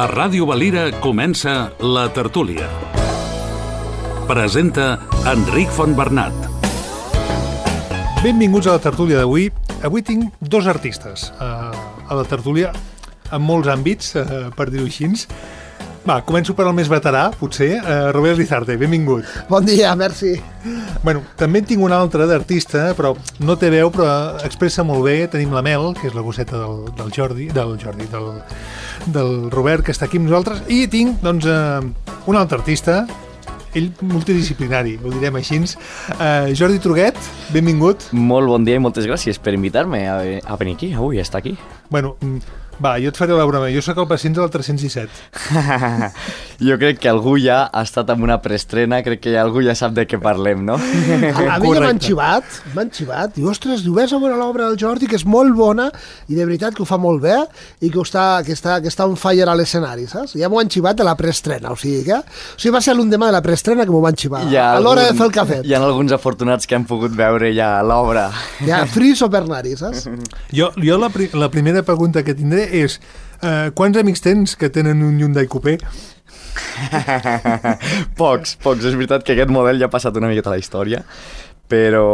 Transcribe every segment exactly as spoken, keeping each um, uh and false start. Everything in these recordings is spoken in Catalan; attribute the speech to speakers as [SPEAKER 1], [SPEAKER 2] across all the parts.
[SPEAKER 1] A Ràdio Valira comença La Tertúlia. Presenta Enric Fontbernat.
[SPEAKER 2] Benvinguts a La Tertúlia d'avui. Avui tinc dos artistes a, a La Tertúlia, en molts àmbits, eh, per dir-ho així. Va, començo per al més veterà, potser. Uh, Robert Lizarte, benvingut.
[SPEAKER 3] Bon dia, merci.
[SPEAKER 2] Bueno, també en tinc un altre d'artista, però no té veu, però expressa molt bé. Tenim la Mel, que és la gosseta del, del Jordi, del Jordi, del, del Robert, que està aquí amb nosaltres. I tinc, doncs, uh, un altre artista, ell multidisciplinari, ho direm així. Uh, Jordi Truguet, benvingut.
[SPEAKER 4] Molt bon dia i moltes gràcies per invitar-me a, a venir aquí, avui, a estar aquí.
[SPEAKER 2] Bueno, va, jo et faré la broma. Jo sóc el pacient del tres-cents disset.
[SPEAKER 4] Jo crec que algú ja ha estat en una preestrena, crec que ja algú ja sap de què parlem, no?
[SPEAKER 3] A, a mi ja m'han xivat, m'han xivat. Diu, ostres, diu, vés a veure l'obra del Jordi, que és molt bona, i de veritat que ho fa molt bé, i que, està, que, està, que està on fire a l'escenari, saps? Ja m'ho han xivat de la preestrena, o sigui que... O sigui, va ser l'endemà de la preestrena que m'ho van xivar, a l'hora de fer el cafè.
[SPEAKER 4] Hi ha alguns afortunats que han pogut veure ja l'obra.
[SPEAKER 3] Ja, fris o per nari, saps?
[SPEAKER 2] Jo, jo la, pri la primera pregunta que tindré és uh, quants amics tens que tenen un Hyundai Coupé?
[SPEAKER 4] Pocs, pocs. És veritat que aquest model ja ha passat una miqueta a la història, però,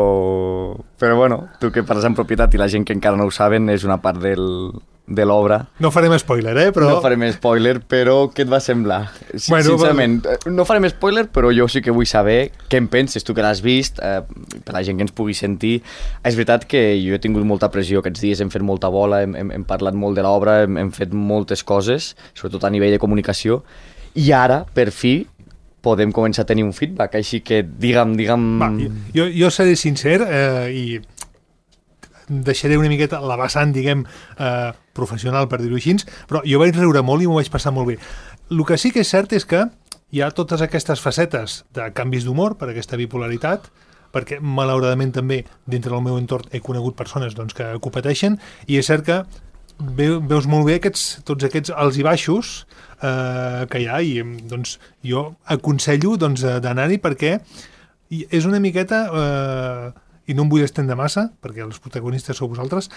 [SPEAKER 4] però bueno, tu que parles en propietat i la gent que encara no ho saben és una part del, de l'obra.
[SPEAKER 2] No farem spoiler, eh? Però...
[SPEAKER 4] No farem spoiler, però què et va semblar? Bueno, sincerament, però... no farem spoiler, però jo sí que vull saber què en penses, tu que l'has vist, eh, per la gent que ens pugui sentir. És veritat que jo he tingut molta pressió aquests dies, hem fet molta bola, hem, hem, hem parlat molt de l'obra, hem, hem fet moltes coses, sobretot a nivell de comunicació, i ara, per fi, podem començar a tenir un feedback, així que digue'm... digue'm...
[SPEAKER 2] Va, jo, jo seré sincer eh, i deixaré una miqueta la vessant, diguem, eh, professional, per dir-ho així, però jo vaig riure molt i m'ho vaig passar molt bé. El que sí que és cert és que hi ha totes aquestes facetes de canvis d'humor per aquesta bipolaritat, perquè malauradament també dintre del meu entorn he conegut persones doncs, que, que ho pateixen, i és cert que veus molt bé aquests, tots aquests alts i baixos eh, que hi ha, i doncs, jo aconsello doncs, d'anar-hi perquè és una miqueta, eh, i no em vull estendre massa, perquè els protagonistes sou vosaltres,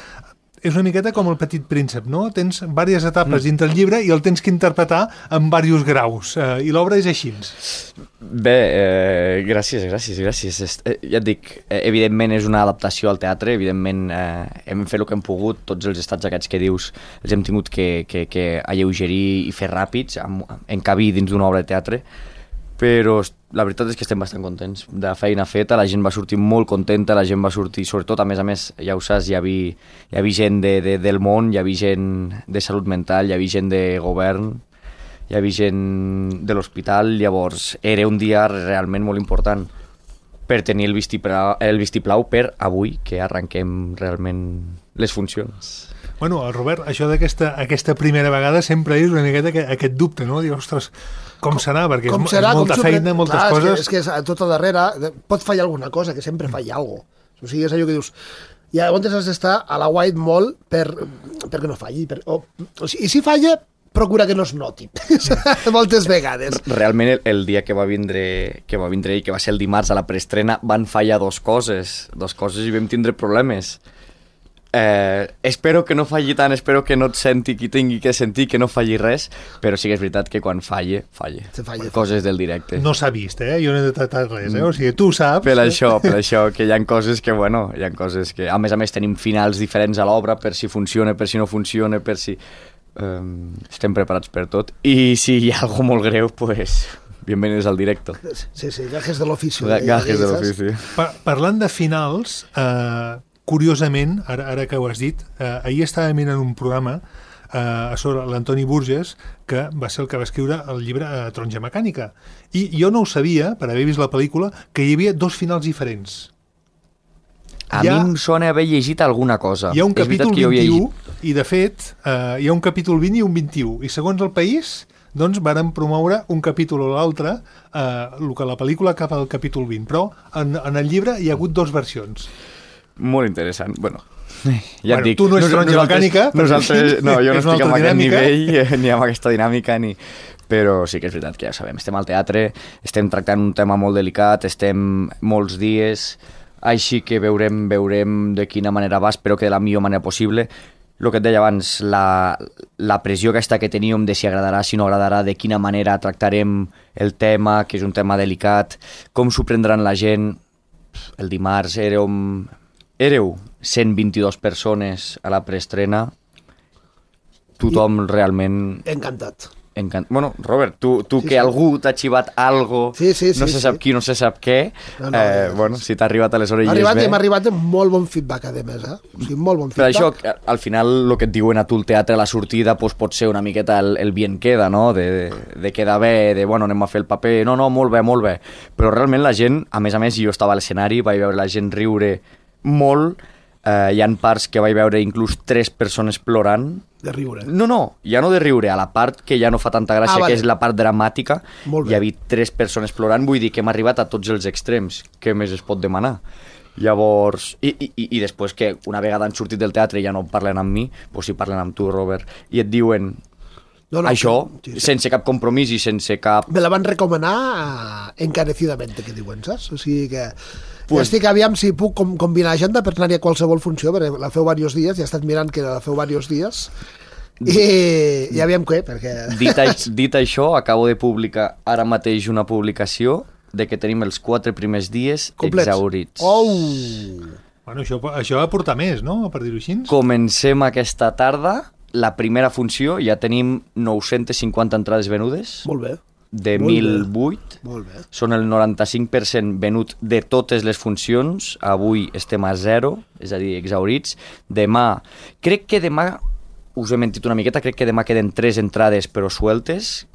[SPEAKER 2] és una miqueta com el Petit Príncep, no? Tens diverses etapes mm. dintre el llibre i el tens que interpretar en diversos graus, eh, i l'obra és així.
[SPEAKER 4] Bé, eh, gràcies, gràcies, gràcies. Eh, ja et dic, eh, evidentment és una adaptació al teatre, evidentment eh, hem fet el que hem pogut, tots els estats aquests que dius els hem tingut que, que, que alleugerir i fer ràpids, encabir dins d'una obra de teatre, però la veritat és que estem bastant contents de la feina feta, la gent va sortir molt contenta, la gent va sortir, sobretot, a més a més, ja ho saps, hi havia, hi havia gent de, de, del món, hi havia gent de salut mental, hi havia gent de govern, hi havia gent de l'hospital, llavors era un dia realment molt important per tenir el vistiplau, el vistiplau per avui, que arrenquem realment les funcions.
[SPEAKER 2] Bueno, Robert, això d'aquesta aquesta primera vegada sempre és una miqueta que, aquest dubte, no? Dius, ostres, com serà? Perquè com és, serà, és molta com feina, moltes clar, coses...
[SPEAKER 3] És que, és que és, tot a darrere pot fallar alguna cosa, que sempre falla alguna cosa. O sigui, és allò que dius... I llavors has d'estar a la White Mall per, perquè no falli. Per, o, o sigui, I si falla, procura que no es noti. Moltes vegades.
[SPEAKER 4] Realment, el, el dia que va vindre que va vindre i que va ser el dimarts a la preestrena, van fallar dos coses. Dos coses i vam tindre problemes. Eh, espero que no falli tant, espero que no et senti qui tingui que sentir, que no falli res, però sí que és veritat que quan falle, falle.
[SPEAKER 3] falle
[SPEAKER 4] coses del directe.
[SPEAKER 2] No s'ha vist, eh? Jo no he detectat res, eh? O sigui, tu saps...
[SPEAKER 4] Per això, per això, que hi ha coses que, bueno, hi ha coses que... A més a més tenim finals diferents a l'obra, per si funciona, per si no funciona, per si... Um, estem preparats per tot. I si hi ha alguna molt greu, pues... Bienvenidos al directo.
[SPEAKER 3] Sí, sí, gajes de l'ofici.
[SPEAKER 4] Gajes de l'ofici.
[SPEAKER 2] Pa parlant de finals... Eh... Curiosament, ara, ara que ho has dit, eh, ahir estava mirant un programa eh, sobre l'Antoni Burgess, que va ser el que va escriure el llibre eh, Taronja Mecànica. I jo no ho sabia, per haver vist la pel·lícula, que hi havia dos finals diferents.
[SPEAKER 4] A ha, mi em sona haver llegit alguna cosa.
[SPEAKER 2] Hi ha un capítol vint-i-u, i de fet, eh, hi ha un capítol vint i un vint-i-u, i segons el país, doncs varen promoure un capítol o l'altre, eh, el que la pel·lícula cap al capítol vint, però en, en el llibre hi ha hagut dues versions.
[SPEAKER 4] Molt interessant, bueno,
[SPEAKER 2] ja bueno, et dic, tu no ets taronja mecànica,
[SPEAKER 4] nosaltres, no, jo no estic amb aquest nivell ni amb aquesta dinàmica ni... Però sí que és veritat que ja sabem, estem al teatre, estem tractant un tema molt delicat, estem molts dies, així que veurem, veurem de quina manera va, espero que de la millor manera possible. el que et deia abans, la, la pressió aquesta que teníem de si agradarà, si no agradarà, de quina manera tractarem el tema, que és un tema delicat, com s'ho prendran la gent. El dimarts érem, éreu cent vint-i-dues persones a la preestrena, tothom realment...
[SPEAKER 3] Encantat.
[SPEAKER 4] Encant... Bueno, Robert, tu, tu
[SPEAKER 3] Sí,
[SPEAKER 4] que
[SPEAKER 3] sí.
[SPEAKER 4] algú t'ha xivat algo,
[SPEAKER 3] Sí, sí, sí,
[SPEAKER 4] no se sap
[SPEAKER 3] sí.
[SPEAKER 4] qui, no se sap què,
[SPEAKER 3] No, no,
[SPEAKER 4] eh,
[SPEAKER 3] no,
[SPEAKER 4] bueno, si t'ha arribat a les
[SPEAKER 3] M'ha
[SPEAKER 4] orelles
[SPEAKER 3] arribat,
[SPEAKER 4] bé.
[SPEAKER 3] i m'ha arribat amb molt bon feedback, a més, eh? O sigui, molt bon
[SPEAKER 4] Per
[SPEAKER 3] feedback.
[SPEAKER 4] això, al final, el que et diuen a tu el teatre a la sortida doncs, pot ser una miqueta el, el bien queda, no? De, de, de quedar bé, de, bueno, anem a fer el paper, no, no, molt bé, molt bé. Però realment la gent, a més a més, jo estava a l'escenari, vaig veure la gent riure molt, eh, hi ha parts que vaig veure inclús tres persones plorant.
[SPEAKER 3] De riure.
[SPEAKER 4] No, no, ja no de riure, a la part que ja no fa tanta gràcia,
[SPEAKER 3] Ah, vale.
[SPEAKER 4] que és la part dramàtica,
[SPEAKER 3] Molt bé.
[SPEAKER 4] hi havia tres persones plorant, vull dir que hem arribat a tots els extrems, què més es pot demanar? Llavors, i, i, i després que una vegada han sortit del teatre i ja no parlen amb mi, doncs si parlen amb tu, Robert, i et diuen
[SPEAKER 3] No, no,
[SPEAKER 4] això,
[SPEAKER 3] sí, sí.
[SPEAKER 4] sense cap compromís i sense cap...
[SPEAKER 3] Me la van recomanar eh, encarecidament, que diuen, saps? O sigui que...
[SPEAKER 4] Pues-
[SPEAKER 3] Ja estic, aviam si puc com, combinar agenda per anar-hi a qualsevol funció, perquè la feu diversos dies, ja he estat mirant que la feu diversos dies, i, i aviam què, perquè...
[SPEAKER 4] Dit, aix- dit això, acabo de publicar ara mateix una publicació de que tenim els quatre primers dies
[SPEAKER 3] Complets.
[SPEAKER 4] exhaurits.
[SPEAKER 3] Oh!
[SPEAKER 2] Bueno, això, això va portar més, no?, per dir-ho així.
[SPEAKER 4] Comencem aquesta tarda, la primera funció, ja tenim nou-centes cinquanta entrades venudes,
[SPEAKER 3] Molt bé,
[SPEAKER 4] de
[SPEAKER 3] Molt
[SPEAKER 4] mil
[SPEAKER 3] bé.
[SPEAKER 4] vuit.
[SPEAKER 3] molt bé.
[SPEAKER 4] Són el noranta-cinc per cent venut de totes les funcions. Avui estem a zero, és a dir, exhaurits. Demà, crec que demà, us he mentit una miqueta, crec que demà queden tres entrades però sueltes,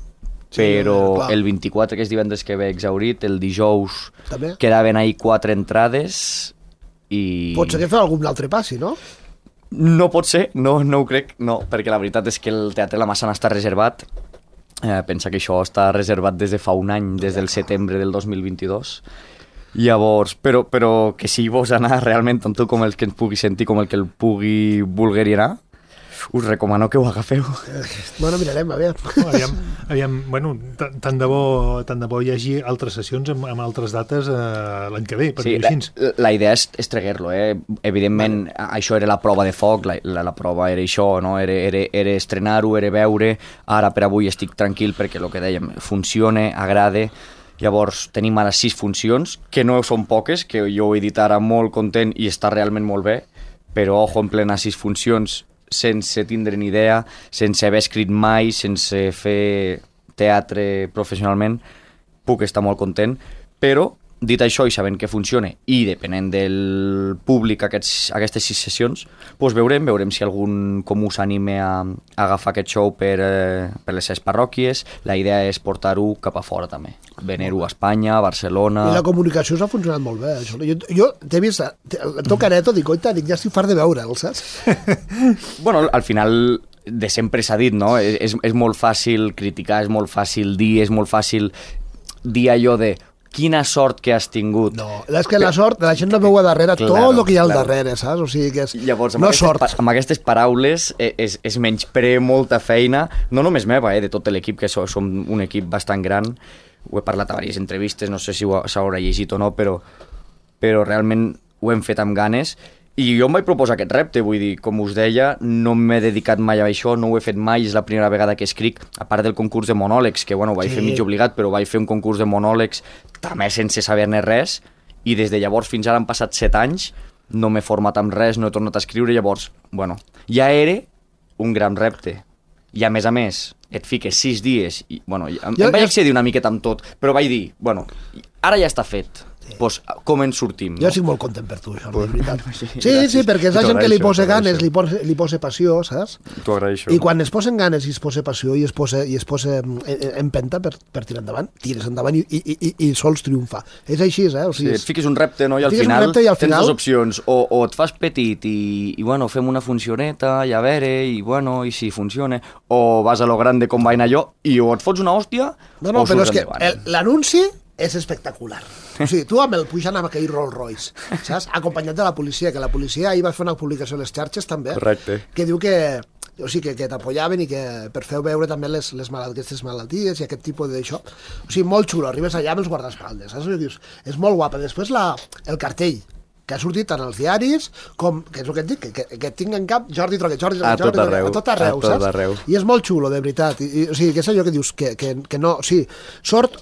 [SPEAKER 3] Sí,
[SPEAKER 4] però
[SPEAKER 3] clar.
[SPEAKER 4] el vint-i-quatre, que és divendres que ve exhaurit, el dijous
[SPEAKER 3] També.
[SPEAKER 4] quedaven ahir quatre entrades i...
[SPEAKER 3] Pot ser que feu algun altre passi, no?
[SPEAKER 4] No pot ser, no, no ho crec, no, perquè la veritat és que el Teatre La Massana està reservat. Eh, pensa que això està reservat des de fa un any, des del setembre del dos mil vint-i-dos. Llavors, però, però que si vols anar realment, tant tu com el que ens pugui sentir, com el que el pugui voler anar, us recomano que ho agafeu.
[SPEAKER 3] Bueno, mirarem, a veure.
[SPEAKER 2] No, aviam, aviam, bueno, tant tant de bo, tant de bo hi hagi altres sessions amb, amb altres dates eh, l'any que ve, per
[SPEAKER 4] Sí,
[SPEAKER 2] dir-ho
[SPEAKER 4] la,
[SPEAKER 2] així.
[SPEAKER 4] la idea és, és treguer-lo, eh? Evidentment, vale. Això era la prova de foc, la, la, la prova era això, no? Era, era, era estrenar-ho, era veure. Ara, per avui, estic tranquil perquè el que dèiem, funciona, agrada. Llavors, tenim ara sis funcions, que no són poques, que jo ho he dit ara molt content i està realment molt bé, però, ojo, en plena sis funcions, sense tindre ni idea, sense haver escrit mai, sense fer teatre professionalment, puc estar molt content, però dit això i sabent que funciona i depenent del públic aquests, aquestes sis sessions, doncs veurem, veurem si algun comú s'anime a, a agafar aquest show per, eh, per les seves parròquies. La idea és portar-ho cap a fora també, venir-ho a Espanya, a Barcelona...
[SPEAKER 3] I la comunicació s'ha funcionat molt bé. Això. Jo, jo t'he vist, el teu careto, dic, oita, dic, ja estic fart de veure'l, saps?
[SPEAKER 4] Bueno, al final de sempre s'ha dit, no? És, és molt fàcil criticar, és molt fàcil dir, és molt fàcil dir allò de quina sort que has tingut.
[SPEAKER 3] No, és que la sort, la gent no veu a darrere
[SPEAKER 4] Claro,
[SPEAKER 3] tot el que hi ha al
[SPEAKER 4] claro.
[SPEAKER 3] darrere, saps? O sigui que és...
[SPEAKER 4] Llavors, amb,
[SPEAKER 3] no
[SPEAKER 4] aquestes,
[SPEAKER 3] sort.
[SPEAKER 4] pa- amb aquestes paraules eh, és, és menyspre molta feina, no només meva, eh, de tot l'equip, que so, som un equip bastant gran. Ho he parlat a diverses entrevistes, no sé si ho s'haurà llegit o no, però, però realment ho hem fet amb ganes. I jo em vaig proposar aquest repte, vull dir, com us deia, no m'he dedicat mai a això, no ho he fet mai, és la primera vegada que escric, a part del concurs de monòlegs, que bueno, ho vaig
[SPEAKER 3] Sí.
[SPEAKER 4] fer mig obligat, però vaig fer un concurs de monòlegs també sense saber-ne res, i des de llavors fins ara han passat set anys, no m'he format amb res, no he tornat a escriure, llavors, bueno, ja era un gran repte. I a més a més, et fiques sis dies, i bueno, em,
[SPEAKER 3] Jo-
[SPEAKER 4] em vaig
[SPEAKER 3] jo-
[SPEAKER 4] accedir una miqueta amb tot, però vaig dir, bueno, ara ja està fet, doncs com en sortim?
[SPEAKER 3] Jo
[SPEAKER 4] No?
[SPEAKER 3] estic molt content per tu, això, de veritat. Sí,
[SPEAKER 4] gràcies.
[SPEAKER 3] sí, perquè és la
[SPEAKER 4] T'ho
[SPEAKER 3] gent que li
[SPEAKER 4] agraeixo,
[SPEAKER 3] posa
[SPEAKER 4] t'ho
[SPEAKER 3] ganes,
[SPEAKER 4] agraeixo.
[SPEAKER 3] li posa, li posa passió, saps?
[SPEAKER 4] T'ho agraeixo.
[SPEAKER 3] I quan es posen ganes i es posa passió i es posa, i es posa en, en empenta per, per tirar endavant, tires endavant i, i, i, i sols triomfar. És així, eh? O
[SPEAKER 4] Sí,
[SPEAKER 3] sigui,
[SPEAKER 4] et fiques un repte, no? I al
[SPEAKER 3] fiques un
[SPEAKER 4] final,
[SPEAKER 3] repte i al
[SPEAKER 4] tens
[SPEAKER 3] final-
[SPEAKER 4] dues opcions. O, o et fas petit i, i, bueno, fem una funcioneta i a veure, i, bueno, i si funciona. O vas a lo grande com vaig anar jo i o et fots una hòstia
[SPEAKER 3] No, no,
[SPEAKER 4] o
[SPEAKER 3] però és
[SPEAKER 4] surts
[SPEAKER 3] que
[SPEAKER 4] endavant.
[SPEAKER 3] el- l'anunci és espectacular. O sigui, tu amb el pujant amb aquell Rolls Royce, saps? Acompanyat de la policia, que la policia ahir va fer una publicació a les xarxes també,
[SPEAKER 4] Correcte.
[SPEAKER 3] que diu que o sigui, que, que t'apoyaven i que per fer veure també les, les malalt, aquestes malalties i aquest tipus d'això. O sigui, molt xulo, arribes allà amb els guardaespaldes, saps? I dius, és molt guapa. Després la, el cartell, que ha sortit tant als diaris com, que és el que et dic, que, que, que tinc en cap Jordi Troquet, Jordi
[SPEAKER 4] A
[SPEAKER 3] Troquet, Jordi
[SPEAKER 4] tot
[SPEAKER 3] Troquet,
[SPEAKER 4] arreu,
[SPEAKER 3] a tot arreu,
[SPEAKER 4] a tot
[SPEAKER 3] saps?
[SPEAKER 4] arreu.
[SPEAKER 3] I és molt xulo, de veritat. I, i, o sigui, que és allò que dius, que, que, que no, o sigui, sort,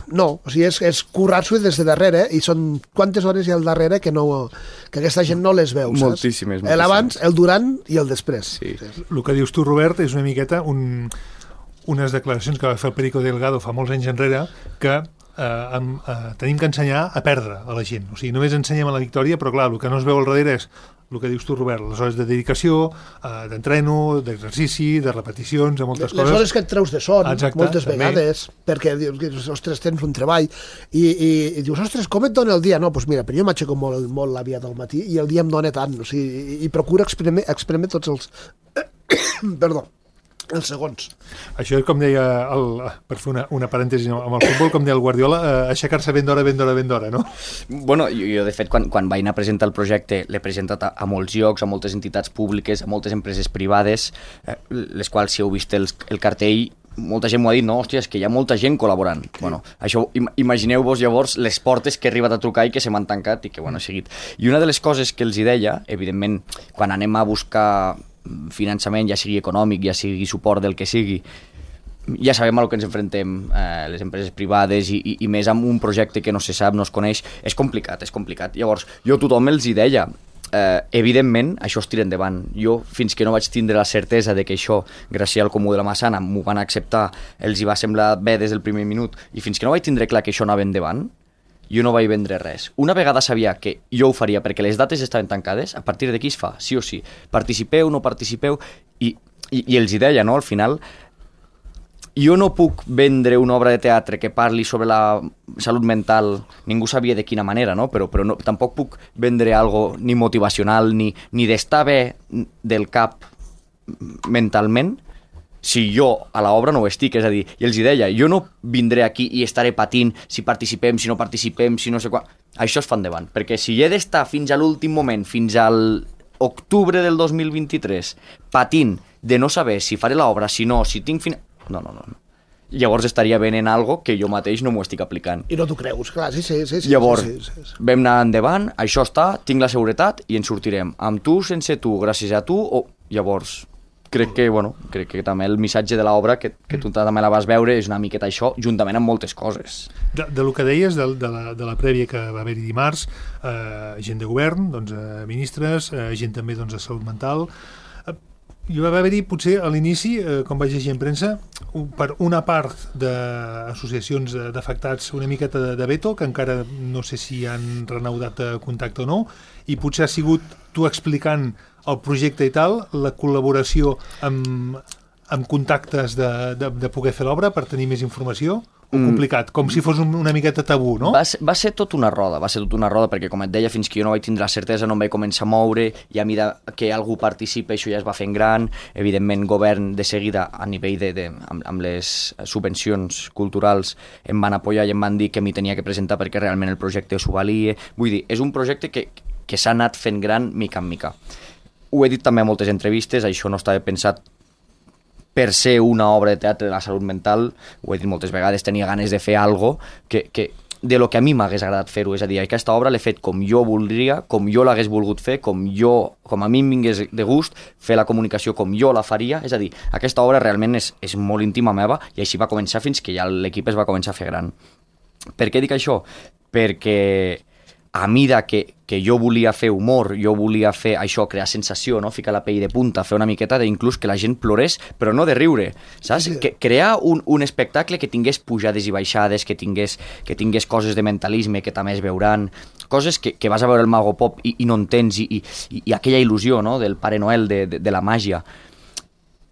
[SPEAKER 3] no, o sigui, és, és currar-s'ho des de darrere, i són quantes hores hi ha al darrere que, no, que aquesta gent no les veu, saps?
[SPEAKER 4] Moltíssimes, moltíssimes.
[SPEAKER 3] El abans, el durant i el després.
[SPEAKER 4] Sí.
[SPEAKER 2] El que dius tu, Robert, és una miqueta un, unes declaracions que va fer el Perico Delgado fa molts anys enrere, que eh, amb, eh, tenim que ensenyar a perdre a la gent. O sigui, només ensenyem a la victòria, però clar, el que no es veu al darrere és el que dius tu, Robert, les hores de dedicació, eh, d'entreno, d'exercici, de repeticions, de moltes
[SPEAKER 3] Les
[SPEAKER 2] coses.
[SPEAKER 3] hores que et treus de son,
[SPEAKER 2] Exacte,
[SPEAKER 3] moltes
[SPEAKER 2] també.
[SPEAKER 3] vegades, perquè dius, ostres, tens un treball, i, i, i dius, ostres, com et dona el dia? No, doncs mira, però jo m'aixeco molt, molt l'aviat al matí i el dia em dona tant, o sigui, i, i procuro exprimer, exprimer tots els... Perdó, els segons.
[SPEAKER 2] Això és com deia, el, per fer una, una parèntesi amb el futbol, com deia el Guardiola, eh, aixecar-se ben d'hora, ben d'hora, ben d'hora, no?
[SPEAKER 4] Bueno, jo, jo de fet, quan, quan vaig anar a presentar el projecte, l'he presentat a, a molts llocs, a moltes entitats públiques, a moltes empreses privades, eh, les quals, si heu vist el, el cartell, molta gent m'ho ha dit, no, hòstia, és que hi ha molta gent col·laborant. Sí. Bueno, això, im imagineu-vos llavors les portes que he arribat a trucar i que se m'han tancat i que, bueno, he seguit. I una de les coses que els hi deia, evidentment, quan anem a buscar finançament, ja sigui econòmic, ja sigui suport del que sigui, ja sabem a lo que ens enfrontem, eh, les empreses privades i, i, i més amb un projecte que no se sap, no es coneix, és complicat, és complicat. Llavors, jo a tothom els hi deia, eh, evidentment, això es tira endavant. Jo, fins que no vaig tindre la certesa de que això, gràcies al Comú de la Massana, m'ho van acceptar, els hi va semblar bé des del primer minut, i fins que no vaig tindre clar que això anava endavant, jo no vaig vendre res. Una vegada sabia que jo ho faria perquè les dates estaven tancades, a partir d'aquí es fa, sí o sí. Participeu, no participeu, i, i, i els hi deia, no?, al final, jo no puc vendre una obra de teatre que parli sobre la salut mental, ningú sabia de quina manera, no?, però, però no, tampoc puc vendre algo ni motivacional, ni, ni d'estar bé del cap mentalment, si jo a l'obra no ho estic, és a dir, i els hi deia, jo no vindré aquí i estaré patint si participem, si no participem, si no sé quan... Això es fa endavant, perquè si he d'estar fins a l'últim moment, fins al octubre del dos mil vint-i-tres, patint de no saber si faré l'obra, si no, si tinc... Fin... No, no, no. Llavors estaria venent algo que jo mateix no m'ho estic aplicant.
[SPEAKER 3] I no t'ho creus, clar, sí, sí, sí. sí
[SPEAKER 4] Llavors,
[SPEAKER 3] sí, sí, sí.
[SPEAKER 4] vam anar endavant, això està, tinc la seguretat i en sortirem. Amb tu, sense tu, gràcies a tu, o... Llavors... crec que, bueno, crec que també el missatge de l'obra, que, que tu també la vas veure, és una miqueta això, juntament amb moltes coses.
[SPEAKER 2] De, de lo que deies, de, de, la, de la prèvia que va haver-hi dimarts, eh, gent de govern, doncs, eh, ministres, eh, gent també doncs, de salut mental... Eh, hi va haver-hi, potser, a l'inici, eh, com vaig llegir en premsa, un, per una part d'associacions d'afectats una miqueta de, de veto, que encara no sé si han renaudat contacte o no, i potser ha sigut tu explicant el projecte i tal, la col·laboració amb, amb contactes de, de, de poder fer l'obra per tenir més informació, o complicat, com si fos un, una miqueta tabú, no?
[SPEAKER 4] Va ser, va ser tot una roda, va ser tot una roda, perquè com et deia, fins que jo no vaig tindre la certesa no em vaig començar a moure, i a mesura que algú participa això ja es va fent gran, evidentment govern de seguida a nivell de, de amb, amb les subvencions culturals em van apoyar i em van dir que m'hi tenia que presentar perquè realment el projecte s'ho valia, vull dir, és un projecte que, que s'ha anat fent gran mica en mica. Ho he dit també a moltes entrevistes, això no estava pensat per ser una obra de teatre de la salut mental, ho he dit moltes vegades, tenia ganes de fer algo que, que de lo que a mi m'hagués agradat fer-ho, és a dir, aquesta obra l'he fet com jo voldria, com jo l'hagués volgut fer, com jo, com a mi em vingués de gust, fer la comunicació com jo la faria, és a dir, aquesta obra realment és, és molt íntima meva i així va començar fins que ja l'equip es va començar a fer gran. Per què dic això? Perquè a mida que, que jo volia fer humor, jo volia fer això, crear sensació, no? Ficar la pell de punta, fer una miqueta d'inclús que la gent plorés, però no de riure, saps? Sí. Que, crear un, un espectacle que tingués pujades i baixades, que tingués, que tingués coses de mentalisme que també es veuran, coses que, que vas a veure el Mago Pop i, i no entens, i, i, i aquella il·lusió, no?, del Pare Noel, de, de, de la màgia.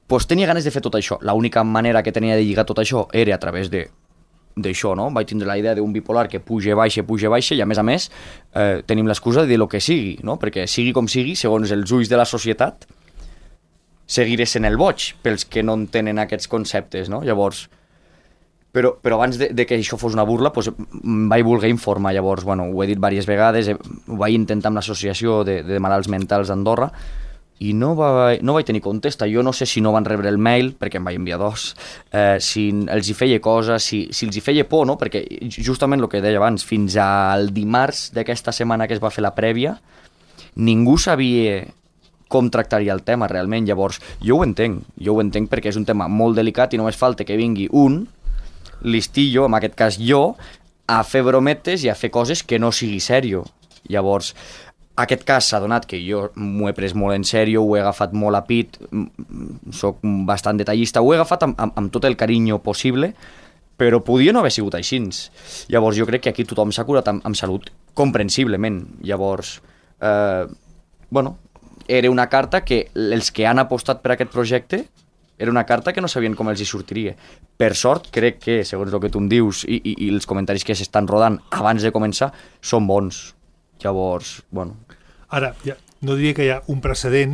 [SPEAKER 4] Pues tenia ganes de fer tot això. L'única manera que tenia de lligar tot això era a través de d'això, no? Vaig tindre la idea d'un bipolar que puja, baixa, puja, baixa, i a més a més eh, tenim l'excusa de dir el que sigui, no? Perquè sigui com sigui, segons els ulls de la societat, seguiré sent el boig pels que no entenen aquests conceptes, no? Llavors, però, però abans de, de que això fos una burla, doncs, em vaig voler informar, llavors, bueno, ho he dit diverses vegades, ho vaig intentar amb l'associació de, de malalts mentals d'Andorra, i no, va, no vaig tenir contesta. Jo no sé si no van rebre el mail, perquè em vaig enviar dos, eh, si els hi feia cosa, si, si els hi feia por, no? Perquè justament el que deia abans, fins al dimarts d'aquesta setmana que es va fer la prèvia, ningú sabia com tractaria el tema realment. Llavors, jo ho entenc, jo ho entenc perquè és un tema molt delicat i només falta que vingui un listillo, en aquest cas jo, a fer brometes i a fer coses que no sigui sèrio. Llavors, aquest cas s'ha donat que jo m'ho he pres molt en sèrio, ho he agafat molt a pit, soc bastant detallista, ho he agafat amb, amb, amb tot el carinyo possible, però podia no haver sigut així. Llavors jo crec que aquí tothom s'ha curat amb, amb salut comprensiblement. Llavors, eh, bueno, era una carta que els que han apostat per aquest projecte era una carta que no sabien com els hi sortiria. Per sort, crec que, segons el que tu em dius i, i, i els comentaris que s'estan rodant abans de començar, són bons. Llavors, bueno...
[SPEAKER 2] Ara, ja, no diria que hi ha un precedent,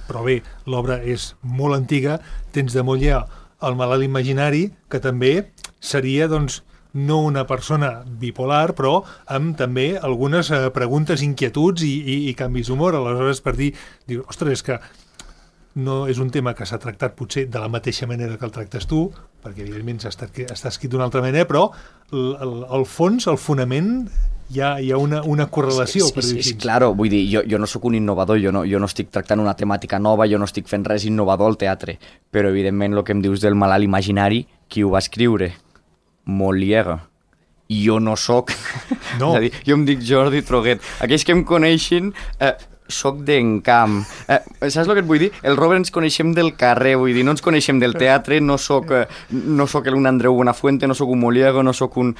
[SPEAKER 2] però bé, l'obra és molt antiga, tens de molt ja el malalt imaginari, que també seria, doncs, no una persona bipolar, però amb també algunes eh, preguntes, inquietuds i, i, i canvis d'humor. Aleshores, per dir, diu, ostres, és que no és un tema que s'ha tractat potser de la mateixa manera que el tractes tu, perquè evidentment està, està escrit d'una altra manera, però el, el, el fons, el fonament... Hi ha, hi ha una, una correlació,
[SPEAKER 4] sí,
[SPEAKER 2] per dir així.
[SPEAKER 4] Claro, vull dir, jo, jo no sóc un innovador, jo no, jo no estic tractant una temàtica nova, jo no estic fent res innovador al teatre, però evidentment el que em dius del malalt imaginari, qui ho va escriure? Molière. I jo no sóc... No. És a dir, jo em dic Jordi Troguet. Aquells que em coneixen... Eh, soc d'Encamp. Eh, saps el que et vull dir? El Robert ens coneixem del carrer, vull dir, no ens coneixem del teatre, no soc, eh, no soc un Andreu Buenafuente, no sóc un Molière, no soc un...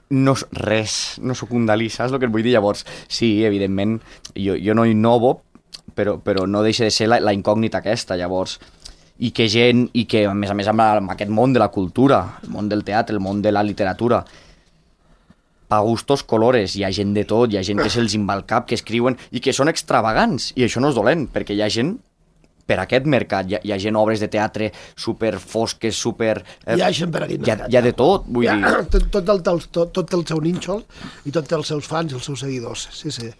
[SPEAKER 4] No, res, no sóc un Dalí, saps el que et vull dir? Llavors, sí, evidentment, jo, jo no innovo, però, però no deixa de ser la, la incògnita aquesta, llavors... I que gent, i que a més a més amb, amb aquest món de la cultura, el món del teatre, el món de la literatura, pa gustos colores, hi ha gent de tot, hi ha gent que se'ls inva al cap, que escriuen, i que són extravagants, i això no és dolent, perquè hi ha gent per aquest mercat, hi ha, hi ha gent obres de teatre super fosques, super...
[SPEAKER 3] Eh, hi ha gent per aquest mercat.
[SPEAKER 4] Hi ha, hi ha de tot, vull
[SPEAKER 3] ha,
[SPEAKER 4] dir...
[SPEAKER 3] Tot, tot, el, tot, tot el seu nínxol i tots els seus fans i els seus seguidors, sí, sí.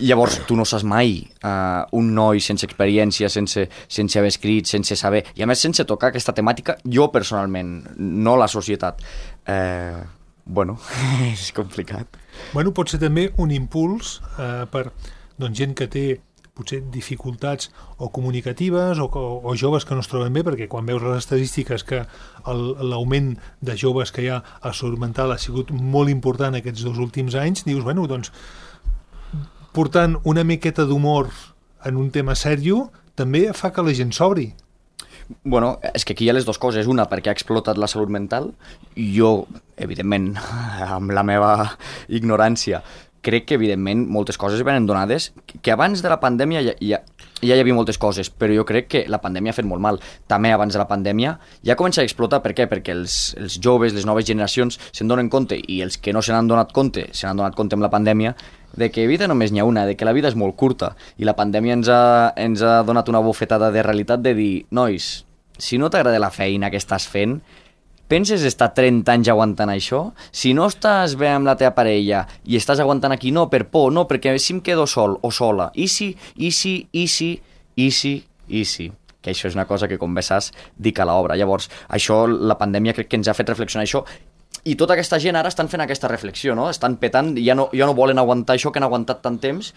[SPEAKER 4] Llavors, tu no saps mai uh, un noi sense experiència, sense, sense haver escrit, sense saber, i a més sense tocar aquesta temàtica, jo personalment, no la societat. Eh... Bueno, és complicat.
[SPEAKER 2] Bueno, pot ser també un impuls eh, per doncs, gent que té potser dificultats o comunicatives o, o, o joves que no es troben bé, perquè quan veus les estadístiques que l'augment de joves que hi ha a salut mental ha sigut molt important aquests dos últims anys, dius, bueno, doncs, portant una miqueta d'humor en un tema sèrio també fa que la gent s'obri.
[SPEAKER 4] Bueno, és que aquí hi ha les dues coses. Una, perquè ha explotat la salut mental. Jo, evidentment, amb la meva ignorància, crec que, evidentment, moltes coses venen donades, que abans de la pandèmia ja, ja, ja hi havia moltes coses, però jo crec que la pandèmia ha fet molt mal. També abans de la pandèmia ja comença a explotar. Per què? Perquè els, els joves, les noves generacions, se'n donen compte, i els que no se n'han donat compte, se n'han donat compte amb la pandèmia, de que vida només n'hi ha una, de que la vida és molt curta, i la pandèmia ens ha, ens ha donat una bufetada de realitat de dir, nois, si no t'agrada la feina que estàs fent, penses estar trenta anys aguantant això? Si no estàs bé amb la teva parella i estàs aguantant aquí, no, per por, no, perquè si em quedo sol o sola, i si, i si, i si, i si, i si, que això és una cosa que, com bé saps, dic a l'obra. Llavors, això, la pandèmia crec que ens ha fet reflexionar això, i tota aquesta gent ara estan fent aquesta reflexió, no? Estan petant, ja no, ja no volen aguantar això que han aguantat tant temps,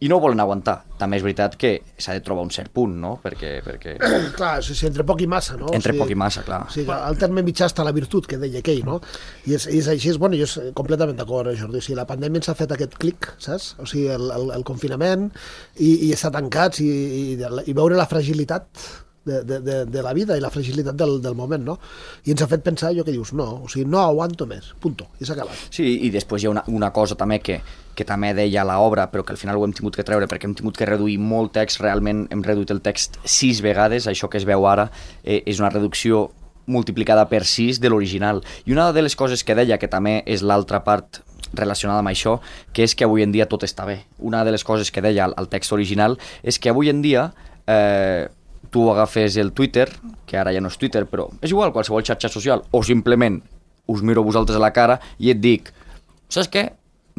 [SPEAKER 4] i no ho volen aguantar. També és veritat que s'ha de trobar un cert punt, no? Perquè... perquè...
[SPEAKER 3] Clar, o sigui, entre poc i massa, no?
[SPEAKER 4] Entre
[SPEAKER 3] o sigui,
[SPEAKER 4] poc i massa, clar.
[SPEAKER 3] O sigui, el terme mitjà està la virtut, que deia aquell, no? I és, és així, és, bueno, jo és completament d'acord, Jordi. O sigui, la pandèmia ens ha fet aquest clic, saps? O sigui, el, el, el confinament i, i estar tancats i, i, i veure la fragilitat de, de, de, de la vida i la fragilitat del, del moment, no? I ens ha fet pensar allò que dius, no, o sigui, no aguanto més, punto, i s'ha acabat.
[SPEAKER 4] Sí, i després hi ha una, una cosa també que, que també deia a l'obra, però que al final ho hem tingut que treure perquè hem tingut que reduir molt text, realment hem reduït el text sis vegades, això que es veu ara eh, és una reducció multiplicada per sis de l'original. I una de les coses que deia, que també és l'altra part relacionada amb això, que és que avui en dia tot està bé. Una de les coses que deia al text original és que avui en dia eh, tu agafes el Twitter, que ara ja no és Twitter, però és igual, qualsevol xarxa social, o simplement us miro vosaltres a la cara i et dic, saps què?